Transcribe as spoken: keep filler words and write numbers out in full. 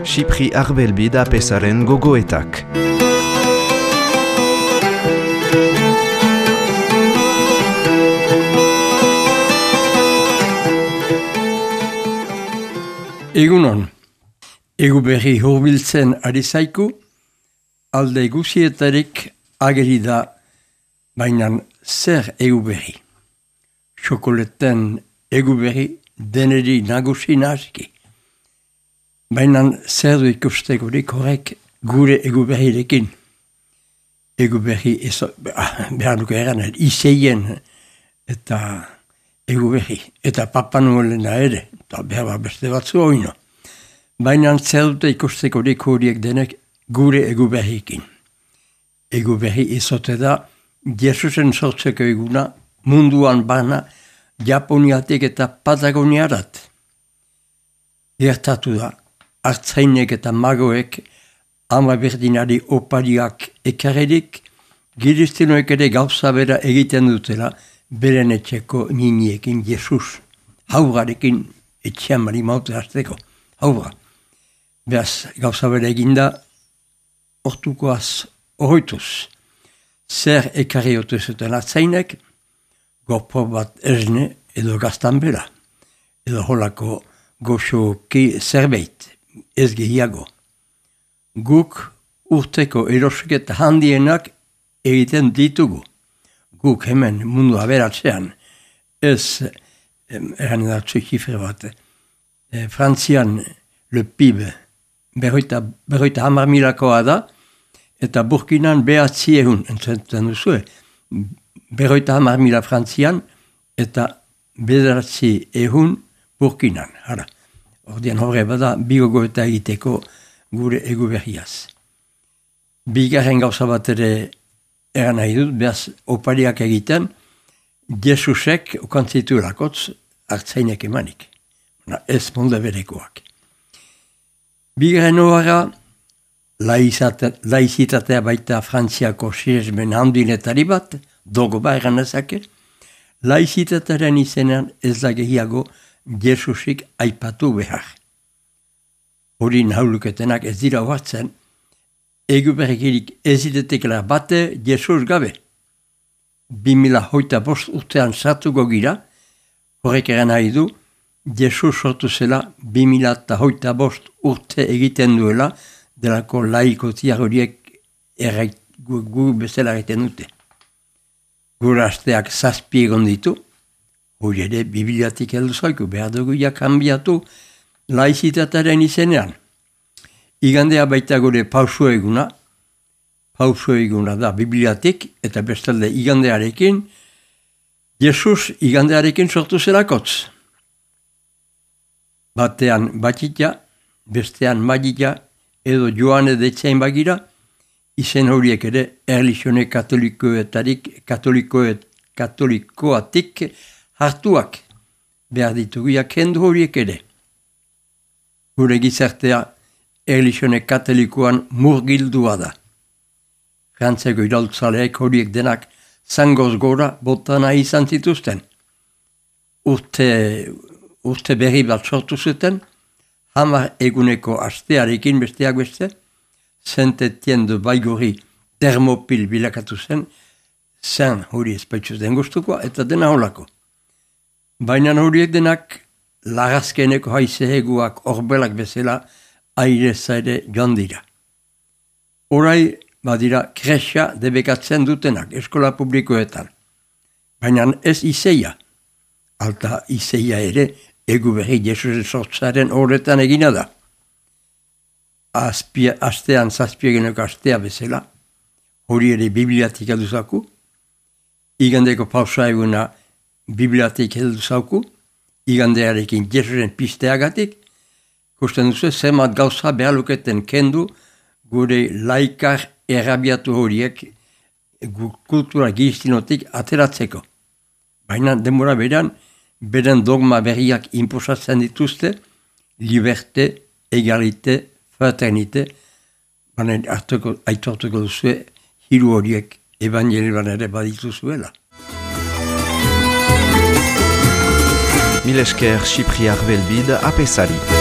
Xipri Arbelbi da pesaren gogoetak. Egunon, egu berri hurbiltzen ari zaiku, alde guzietarik ageri da, bainan zer egu berri. Xokoleten egu berri deneri nagusi naski. Bainan zer du ikustekorik horrek gure egu berrirekin. Egu berri, eso, behar duke eran, iseien eta egu berri, eta Papa Noelena ere, eta behar beste batzu oino. Baina zer dute ikustekorik horiek denek gure egu berrikin. Egu berri izote da, Jesusen sortzeko eguna, munduan bana, Japoniatik eta Patagoniarat. Gertatu da, hartzainek eta magoek, ama berdinari opariak ekarredik, giriztinoek ere gauza bera egiten dutela, beren etxeko niniekin Jesus, haurarekin etxean mari maute hartzeko, haura. Beaz, gauza bera eginda, ortukoaz horretuz, zer ekarri otu zuten hartzainek, gorpo bat erne edo gaztan bera, edo holako goxoki zerbait, ez gehiago. Guk urteko erosketa handienak egiten ditugu. Guk hemen mundu aberatzean, ez, eran edatzu kifre bat, e, Frantzian le P I B berroita, berroita hamar milakoa da, eta Burkinan behatzi ehun, entzenten duzu, berroita hamar mila Frantzian, eta bederatzi ehun Burkinan, hara. Ordean horre bada, bigogo eta egiteko gure egu berriaz. Bigarren gauza bat ere eran nahi dut, behaz opariak egiten, Jesusek okantzitu lakotz hartzainek emanik. Ez molde berekoak. Bigarren horra, laizitatea baita Frantziako siesmen handinetari bat, dogo ba eran ezake, laizitatearen izenean ez da gehiago Jesusik aipatu behar. Hori nahuluketenak ez dira hoartzen, egu berrikirik ezitetekela bate Jesus gabe. Bi mila hoita bost urtean sartuko gira, horrek eran nahi du, Jesus sortu zela bi mila hoita bost urte egiten duela, delako laikotiak horiek errait gu, gu bezala egiten dute. Gure asteak zazpi egon ditu, hori ere bibliatik heldu zaiku, behar dugu ja kanbiatu laizitatearen izenean. Igandea baita gure pauso eguna, pauso eguna da bibliatik, eta bestalde igandearekin, Jesus igandearekin sortu zelakotz. Batean batita, bestean magita, edo joane detzain bagira, izen horiek ere erlizione katolikoetarik, katolikoet, katolikoatik hartuak behar dituguak kendu horiek ere. Gure gizartea erlizione katolikoan murgildua da. Frantzeko iraultzaleek horiek denak zangoz gora botana izan zituzten. Urte, urte berri bat sortu zuten, hamar eguneko astearekin besteak beste, Saint-Étienne de Baigorri termopil bilakatu zen, zen hori ezpaitzuz den guztukoa, eta dena holako. Baina horiek denak lagazkeneko haizeheguak orbelak bezala aire zaire joan dira. Horai badira kresa debekatzen dutenak eskola publikoetan. Baina ez izeia. Alta izeia ere egu berri Jesusen sortzaren horretan egina da. Azpia, astean zazpiegeneko astea bezala, hori ere bibliatik heldu zauku, igandeko pausa eguna bibliatik heldu zauku, igandearekin Jesusen pisteagatik, kusten duzu zemat gauza behaluketen kendu gure laikar errabiatu horiek kultura giztinotik ateratzeko. Baina denbora beran, beren dogma berriak inposatzen dituzte, liberte, egalite, fraternite, baina aitortuko duzue, hiru horiek evangelioan ere badituzuela. Milesker Sipriar Belbid apesari.